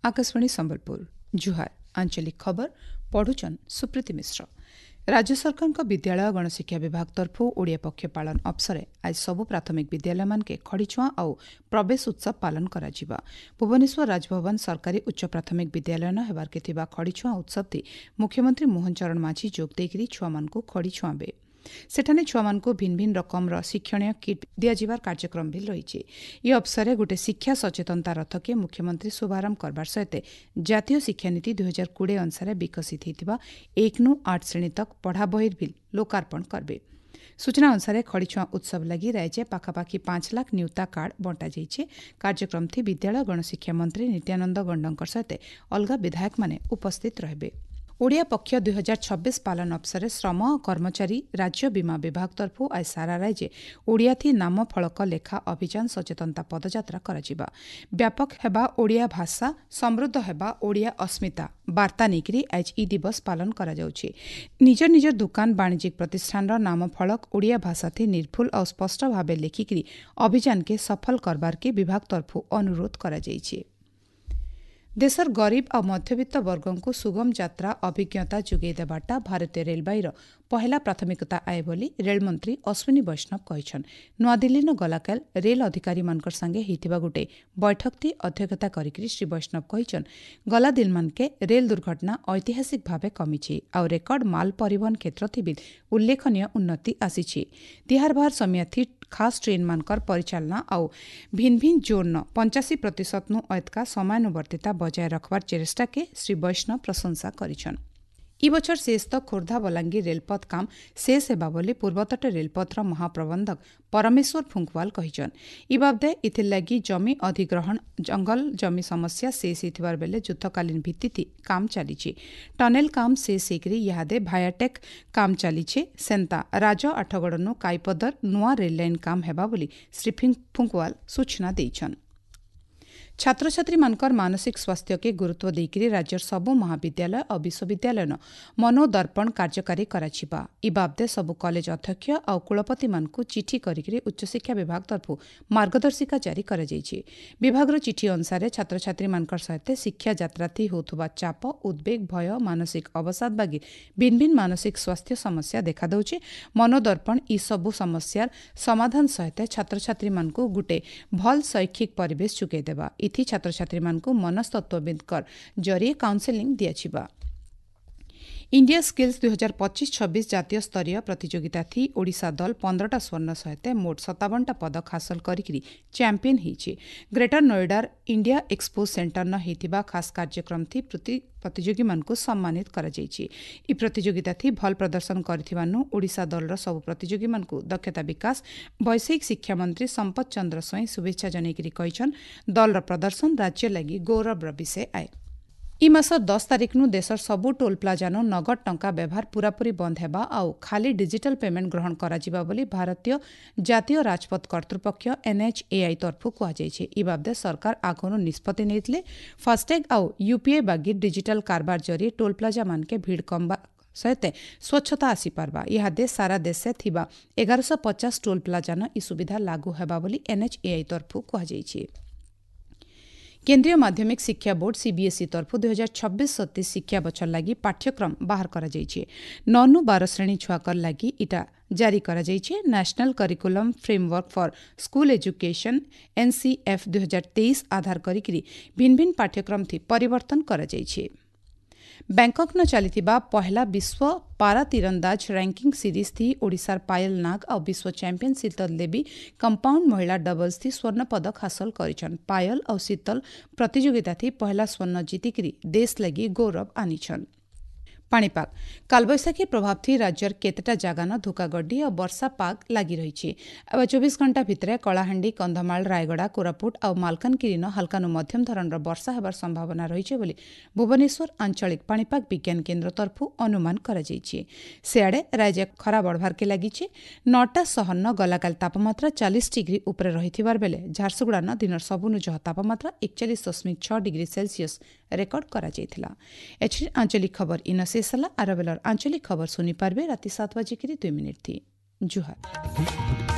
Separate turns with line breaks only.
ଆକାଶବାଣୀ ସମ୍ବଲପୁର, ଜୁହାର। ଆଞ୍ଚଳିକ ଖବର ପଢୁଛନ୍ ସୁପ୍ରୀତି ମିଶ୍ର। ରାଜ୍ୟ ସରକାରଙ୍କ ବିଦ୍ୟାଳୟ ଗଣଶିକ୍ଷା ବିଭାଗ ତରଫରୁ ଓଡ଼ିଆ ପକ୍ଷ ପାଳନ ଅବସରେ ଆଜି ସବୁ ପ୍ରାଥମିକ ବିଦ୍ୟାଳୟମାନକେ ଖଡ଼ିଛୁଆଁ ଆଉ ପ୍ରବେଶ ଉତ୍ସବ ପାଳନ କରାଯିବା। ଭୁବନେଶ୍ୱର ରାଜଭବନ ସରକାରୀ ଉଚ୍ଚ ପ୍ରାଥମିକ ବିଦ୍ୟାଳୟନ ହେବାର୍କେ ଥିବା ଖଡ଼ିଛୁଆଁ ଉତ୍ସବଟି ମୁଖ୍ୟମନ୍ତ୍ରୀ ମୋହନ ଚରଣ ମାଝୀ ଯୋଗ ଦେଇକରି ଛୁଆମାନଙ୍କୁ ଖଡ଼ି ଛୁଆଁବେ। ସେଠାନେ ଛୁଆମାନଙ୍କୁ ଭିନ୍ନ ଭିନ୍ନ ରକମର ଶିକ୍ଷଣୀୟ କିଟ୍ ଦିଆଯିବାର କାର୍ଯ୍ୟକ୍ରମ ବି ରହିଛି। ଏ ଅବସରରେ ଗୋଟେ ଶିକ୍ଷା ସଚେତନତା ରଥକେ ମୁଖ୍ୟମନ୍ତ୍ରୀ ଶୁଭାରମ୍ଭ କରବାର ସହିତ ଜାତୀୟ ଶିକ୍ଷାନୀତି 2020 ଅନୁସାରେ ବିକଶିତ ହୋଇଥିବା 1 ନୁ 8 ଶ୍ରେଣୀ ତକ୍ ପଢ଼ା ବହିର ବି ଲୋକାର୍ପଣ କରିବେ। ସୂଚନା ଅନୁସାରେ ଖଡ଼ିଛୁଆଁ ଉତ୍ସବ ଲାଗି ରାଜ୍ୟ ପାଖାପାଖି 5 ଲାଖ ନିୟୁତା କାର୍ଡ ବଣ୍ଟାଯାଇଛି। କାର୍ଯ୍ୟକ୍ରମ ଥି ବିଦ୍ୟାଳୟ ଗଣଶିକ୍ଷା ମନ୍ତ୍ରୀ ନିତ୍ୟାନନ୍ଦ ଗଣ୍ଡଙ୍କ ସହିତ ଅଲଗା ବିଧାୟକମାନେ ଉପସ୍ଥିତ ରହିବେ। ଓଡ଼ିଆ ପକ୍ଷ 2026 ପାଳନ ଅବସରରେ ଶ୍ରମ ଓ କର୍ମଚାରୀ ରାଜ୍ୟ ବୀମା ବିଭାଗ ତରଫରୁ ଆଜି ସାରା ରାଜ୍ୟ ଓଡ଼ିଆଥି ନାମ ଫଳକ ଲେଖା ଅଭିଯାନ ସଚେତନତା ପଦଯାତ୍ରା କରାଯିବା। ବ୍ୟାପକ ହେବା ଓଡ଼ିଆ ଭାଷା, ସମୃଦ୍ଧ ହେବା ଓଡ଼ିଆ ଅସ୍ମିତା ବାର୍ତ୍ତା ନେଇକରି ଆଜି ଇ ଦିବସ ପାଳନ କରାଯାଉଛି। ନିଜ ନିଜ ଦୋକାନ, ବାଣିଜ୍ୟିକ ପ୍ରତିଷ୍ଠାନର ନାମ ଫଳକ ଓଡ଼ିଆ ଭାଷାଥି ନିର୍ଭୁଲ ଆଉ ସ୍ପଷ୍ଟ ଭାବେ ଲେଖିକରି ଅଭିଯାନକେ ସଫଳ କରବାର୍କେ ବିଭାଗ ତରଫରୁ ଅନୁରୋଧ କରାଯାଇଛି। ଦେଶର ଗରିବ ଆଉ ମଧ୍ୟବିତ୍ତ ବର୍ଗଙ୍କୁ ସୁଗମ ଯାତ୍ରା ଅଭିଜ୍ଞତା ଯୋଗାଇ ଦେବାଟା ଭାରତୀୟ ରେଳବାଇର ପହେଲା ପ୍ରାଥମିକତା ଆଏ ବୋଲି ରେଳମନ୍ତ୍ରୀ ଅଶ୍ୱିନୀ ବୈଷ୍ଣବ କହିଛନ୍। ନୂଆଦିଲ୍ଲୀନ ଗଲାକାଲ ରେଲ ଅଧିକାରୀମାନଙ୍କର ସାଙ୍ଗେ ହେଇଥିବା ଗୋଟେ ବୈଠକଟି ଅଧ୍ୟକ୍ଷତା କରିକି ଶ୍ରୀ ବୈଷ୍ଣବ କହିଛନ୍, ଗଲା ଦିନମାନକେ ରେଲ ଦୁର୍ଘଟଣା ଐତିହାସିକ ଭାବେ କମିଛି ଆଉ ରେକର୍ଡ ମାଲ ପରିବହନ କ୍ଷେତ୍ରଥି ବି ଉଲ୍ଲେଖନୀୟ ଉନ୍ନତି ଆସିଛି। ତିହାର ବାହାର ସମିୟାଥି ଖାସ୍ ଟ୍ରେନ୍ମାନଙ୍କର ପରିଚାଳନା ଆଉ ଭିନ୍ନ ଭିନ୍ନ ଜୋନ୍ର 85% ନୁ ଅଏତକା ସମୟାନୁବର୍ତ୍ତିତା ବଜାୟ ରଖବାର ଚେଷ୍ଟାକେ ଶ୍ରୀ ବୈଷ୍ଣବ ପ୍ରଶଂସା କରିଛନ୍। ଇ ବଛର ଶେଷ ତକ୍ ଖୋର୍ଦ୍ଧା ବଲାଙ୍ଗୀର ରେଳପଥ କାମ ଶେଷ ହେବା ବୋଲି ପୂର୍ବତଟ ରେଳପଥର ମହାପ୍ରବନ୍ଧକ ପରମେଶ୍ୱର ଫୁଙ୍କୱାଲ କହିଛନ୍। ଇ ବାବଦେ ଇଥିର୍ଲାଗି ଜମି ଅଧିଗ୍ରହଣ, ଜଙ୍ଗଲ ଜମି ସମସ୍ୟା ଶେଷ ହେଇଥିବାର ବେଲେ ଯୁଦ୍ଧକାଳୀନ ଭିତ୍ତିଥି କାମ ଚାଲିଛି। ଟନେଲ କାମ ଶେଷ ହେଇକରି ଇହାଦେ ଭାୟାଟେକ୍ କାମ ଚାଲିଛେ। ସେନ୍ତା ରାଜ ଆଠଗଡ଼ନୁ କାଇପଦର ନୂଆ ରେଲ୍ ଲାଇନ୍ କାମ ହେବା ବୋଲି ଶ୍ରୀ ଫୁଙ୍କୱାଲ ସୂଚନା ଦେଇଛନ୍। ଛାତ୍ରଛାତ୍ରୀମାନଙ୍କର ମାନସିକ ସ୍ୱାସ୍ଥ୍ୟକେ ଗୁରୁତ୍ୱ ଦେଇକରି ରାଜ୍ୟର ସବୁ ମହାବିଦ୍ୟାଳୟ ଆଉ ବିଶ୍ୱବିଦ୍ୟାଳୟନ ମନୋଦର୍ପଣ କାର୍ଯ୍ୟକାରୀ କରାଯିବା। ଇ ବାବଦେ ସବୁ କଲେଜ ଅଧ୍ୟକ୍ଷ ଆଉ କୁଳପତିମାନଙ୍କୁ ଚିଠି କରିକି ଉଚ୍ଚଶିକ୍ଷା ବିଭାଗ ତରଫରୁ ମାର୍ଗଦର୍ଶିକା ଜାରି କରାଯାଇଛି। ବିଭାଗର ଚିଠି ଅନୁସାରେ ଛାତ୍ରଛାତ୍ରୀମାନଙ୍କର ସହିତ ଶିକ୍ଷା ଯାତ୍ରାଥି ହେଉଥିବା ଚାପ, ଉଦ୍ବେଗ, ଭୟ, ମାନସିକ ଅବସାଦ ବାଗି ଭିନ୍ନ ଭିନ୍ନ ମାନସିକ ସ୍ୱାସ୍ଥ୍ୟ ସମସ୍ୟା ଦେଖାଦେଉଛି। ମନୋଦର୍ପଣ ଇ ସବୁ ସମସ୍ୟାର ସମାଧାନ ସହିତ ଛାତ୍ରଛାତ୍ରୀମାନଙ୍କୁ ଗୋଟେ ଭଲ ଶୈକ୍ଷିକ ପରିବେଶ ଯୋଗାଇ ଦେବା। ଇଥି ଛାତ୍ରଛାତ୍ରୀମାନଙ୍କୁ ମନସ୍ତତ୍ତ୍ୱବିତ୍ଙ୍କର ଜରିଏ କାଉନସେଲିଂ ଦିଆଯିବା। ଇଣ୍ଡିଆ ସ୍କିଲ୍ସ 2025-26 ଜାତୀୟ ସ୍ତରୀୟ ପ୍ରତିଯୋଗିତା ଥି ଓଡ଼ିଶା ଦଳ 15ଟା ସ୍ୱର୍ଣ୍ଣ ସହିତ ମୋଟ 57ଟା ପଦକ ହାସଲ କରିକି ଚାମ୍ପିୟନ ହେଇଛି। ଗ୍ରେଟର ନୋଏଡାର ଇଣ୍ଡିଆ ଏକ୍ସପୋ ସେଣ୍ଟରନ ହେଇଥିବା ଖାସ୍ କାର୍ଯ୍ୟକ୍ରମ ଥି ପ୍ରତିଯୋଗୀମାନଙ୍କୁ ସମ୍ମାନିତ କରାଯାଇଛି। ଇ ପ୍ରତିଯୋଗିତା ଥି ଭଲ ପ୍ରଦର୍ଶନ କରିଥିବାରୁ ଓଡ଼ିଶା ଦଳର ସବୁ ପ୍ରତିଯୋଗୀମାନଙ୍କୁ ଦକ୍ଷତା ବିକାଶ ବୈଷୟିକ ଶିକ୍ଷା ମନ୍ତ୍ରୀ ସମ୍ପଦ ଚନ୍ଦ୍ର ସ୍ୱାଇଁ ଶୁଭେଚ୍ଛା ଜଣାଇକରି କହିଛନ୍, ଦଳର ପ୍ରଦର୍ଶନ ରାଜ୍ୟ ଲାଗି ଗୌରବର ବିଷୟ ଆଏ। ଇ ମାସ 10 ତାରିଖନୁ ଦେଶର ସବୁ ଟୋଲ୍ ପ୍ଲାଜାନୁ ନଗଦ ଟଙ୍କା ବ୍ୟବହାର ପୂରାପୂରି ବନ୍ଦ ହେବା ଆଉ ଖାଲି ଡିଜିଟାଲ ପେମେଣ୍ଟ ଗ୍ରହଣ କରାଯିବା ବୋଲି ଭାରତୀୟ ଜାତୀୟ ରାଜପଥ କର୍ତ୍ତୃପକ୍ଷ ଏନ୍ଏଚ୍ଏଆଇ ତରଫରୁ କୁହାଯାଇଛି। ଇ ବାବଦେ ସରକାର ଆଗରୁ ନିଷ୍ପତ୍ତି ନେଇଥିଲେ। ଫାସ୍ଟ୍ୟାଗ୍ ଆଉ ୟୁପିଆଇ ବାଗି ଡିଜିଟାଲ କାରବାର ଜରିଏ ଟୋଲ୍ ପ୍ଲାଜାମାନକେ ଭିଡ଼ କମବା ସହିତ ସ୍ୱଚ୍ଛତା ଆସିପାରବା। ଇହାଦେ ସାରା ଦେଶେ ଥିବା 1150 ଟୋଲ୍ ପ୍ଲାଜାନ ଇ ସୁବିଧା ଲାଗୁ ହେବା ବୋଲି ଏନ୍ଏଚ୍ଏଆଇ ତରଫରୁ କୁହାଯାଇଛି। କେନ୍ଦ୍ରୀୟ ମାଧ୍ୟମିକ ଶିକ୍ଷା ବୋର୍ଡ ସିବିଏସ୍ଇ ତରଫରୁ 2026-27 ଶିକ୍ଷା ବଛର ଲାଗି ପାଠ୍ୟକ୍ରମ ବାହାର କରାଯାଇଛି। 9ନୁ 12 ଶ୍ରେଣୀ ଛୁଆକର ଲାଗି ଇଟା ଜାରି କରାଯାଇଛି। National curriculum framework for school education NCF 2023 ଆଧାର କରିକି ଭିନ୍ନ ଭିନ୍ନ ପାଠ୍ୟକ୍ରମ ଥି ପରିବର୍ତ୍ତନ କରାଯାଇଛି। ବ୍ୟାଙ୍କକ୍ନ ଚାଲିଥିବା ପହେଲା ବିଶ୍ୱ ପାରା ତୀରନ୍ଦାଜ ର୍ୟାଙ୍କିଂ ସିରିଜ୍ ଥି ଓଡ଼ିଶାର ପାୟଲ ନାଗ ଆଉ ବିଶ୍ୱ ଚାମ୍ପିୟନ ଶୀତଲ ଦେବୀ କମ୍ପାଉଣ୍ଡ ମହିଳା ଡବଲ୍ସ ଥି ସ୍ୱର୍ଣ୍ଣ ପଦକ ହାସଲ କରିଛନ୍। ପାୟଲ ଆଉ ଶୀତଲ ପ୍ରତିଯୋଗିତା ଥି ପହେଲା ସ୍ୱର୍ଣ୍ଣ ଜିତିକିରି ଦେଶ ଲାଗି ଗୌରବ ଆନିଛନ୍। ପାଣିପାଗ, କାଲବୈଶାଖୀ ପ୍ରଭାବ ଥି ରାଜ୍ୟର କେତେଟା ଜାଗାନ ଧୋକାଗଡି ଆଉ ବର୍ଷା ପାଗ ଲାଗି ରହିଛି। ଆଉ 24 ଘଣ୍ଟା ଭିତରେ କଳାହାଣ୍ଡି, କନ୍ଧମାଳ, ରାୟଗଡ଼ା, କୋରାପୁଟ ଆଉ ମାଲକାନଗିରିନ ହାଲକାନୁ ମଧ୍ୟମ ଧରଣର ବର୍ଷା ହେବାର ସମ୍ଭାବନା ରହିଛି ବୋଲି ଭୁବନେଶ୍ୱର ଆଞ୍ଚଳିକ ପାଣିପାଗ ବିଜ୍ଞାନ କେନ୍ଦ୍ର ତରଫରୁ ଅନୁମାନ କରାଯାଇଛି। ସେଆଡ଼େ ରାଜ୍ୟ ଖରା ବଢ଼ବାର୍କେ ଲାଗିଛି। 9ଟା ସହରନ ଗଲାକାଲି ତାପମାତ୍ରା 40 ଡିଗ୍ରୀ ଉପରେ ରହିଥିବାର ବେଲେ ଝାରସୁଗୁଡ଼ାନ ଦିନର ସବୁନୁ ଜହ ତାପମାତ୍ରା 41.6 ଡିଗ୍ରୀ ସେଲସିୟସ୍ ରେକର୍ଡ କରାଯାଇଥିଲା। ଏଥିରେ ଆଞ୍ଚଳିକ ଖବର ଇନ ଶେଷ ହେଲା। ଆର ବେଲର ଆଞ୍ଚଳିକ ଖବର ଶୁଣିପାରିବେ ରାତି 7 ବାଜିକିରି 2 ମିନିଟ୍ ଥି। ଜୁହାର।